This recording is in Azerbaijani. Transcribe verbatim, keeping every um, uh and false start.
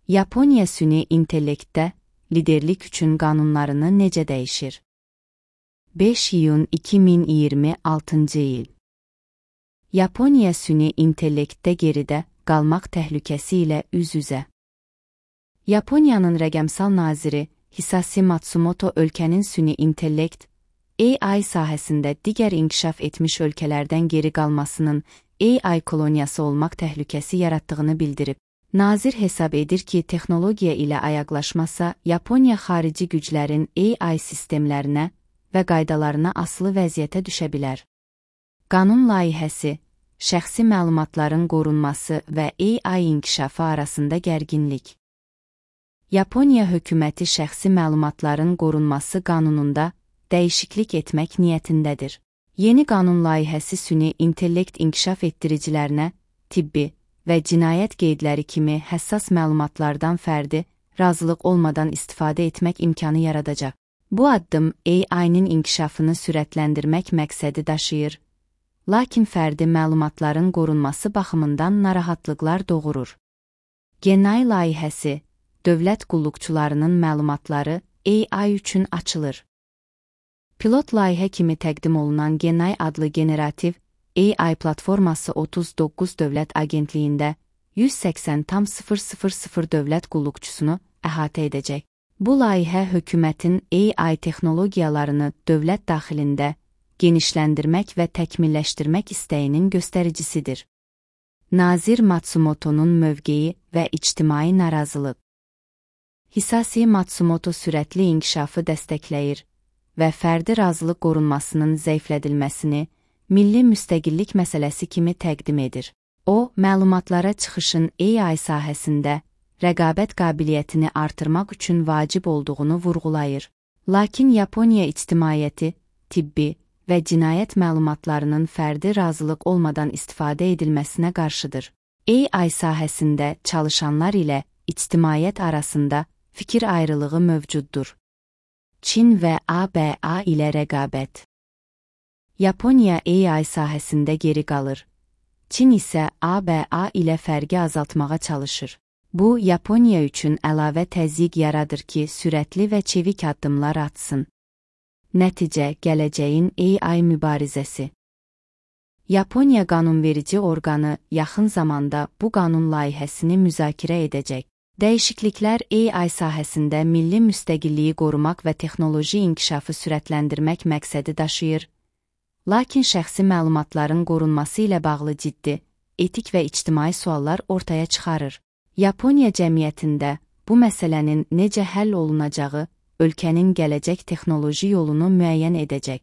Yaponiya süni intellektdə liderlik üçün qanunlarını necə dəyişir? beş iyun iki min iyirmi altıncı il. Yaponiya süni intellektdə geridə qalmaq təhlükəsi ilə üz-üzə. Yaponiyanın rəqəmsal naziri Hisashi Matsumoto ölkənin süni intellekt, A I sahəsində digər inkişaf etmiş ölkələrdən geri qalmasının A I koloniyası olmaq təhlükəsi yaratdığını bildirib. Nazir hesab edir ki, texnologiya ilə ayaqlaşmasa, Yaponiya xarici güclərin A I sistemlərinə və qaydalarına asılı vəziyyətə düşə bilər. Qanun layihəsi, şəxsi məlumatların qorunması və A I inkişafı arasında gərginlik. Yaponiya hökuməti şəxsi məlumatların qorunması qanununda dəyişiklik etmək niyyətindədir. Yeni qanun layihəsi süni intellekt inkişaf etdiricilərinə, tibbi və cinayət qeydləri kimi həssas məlumatlardan fərdi, razılıq olmadan istifadə etmək imkanı yaradacaq. Bu addım A I-nin inkişafını sürətləndirmək məqsədi daşıyır, lakin fərdi məlumatların qorunması baxımından narahatlıqlar doğurur. Genay layihəsi, dövlət qulluqçularının məlumatları A I üçün açılır. Pilot layihə kimi təqdim olunan Genay adlı generativ A I platforması otuz doqquz dövlət agentliyində yüz səksən min dövlət qulluqçusunu əhatə edəcək. Bu layihə hökumətin A I texnologiyalarını dövlət daxilində genişləndirmək və təkmilləşdirmək istəyinin göstəricisidir. Nazir Matsumoto'nun mövqeyi və ictimai narazılıq. Hisashi Matsumoto sürətli inkişafı dəstəkləyir və fərdi razılıq qorunmasının zəiflədilməsini milli müstəqillik məsələsi kimi təqdim edir. O, məlumatlara çıxışın A I sahəsində rəqabət qabiliyyətini artırmaq üçün vacib olduğunu vurğulayır. Lakin Yaponiya ictimaiyyəti, tibbi və cinayət məlumatlarının fərdi razılıq olmadan istifadə edilməsinə qarşıdır. A I sahəsində çalışanlar ilə ictimaiyyət arasında fikir ayrılığı mövcuddur. Çin və A B A ilə rəqabət. Yaponiya A I sahəsində geri qalır. Çin isə A B A ilə fərqi azaltmağa çalışır. Bu, Yaponiya üçün əlavə təzyiq yaradır ki, sürətli və çevik addımlar atsın. Nəticə, gələcəyin A I mübarizəsi. Yaponiya qanunverici orqanı yaxın zamanda bu qanun layihəsini müzakirə edəcək. Dəyişikliklər A I sahəsində milli müstəqilliyi qorumaq və texnoloji inkişafı sürətləndirmək məqsədi daşıyır, lakin şəxsi məlumatların qorunması ilə bağlı ciddi, etik və ictimai suallar ortaya çıxarır. Yaponiya cəmiyyətində bu məsələnin necə həll olunacağı ölkənin gələcək texnoloji yolunu müəyyən edəcək.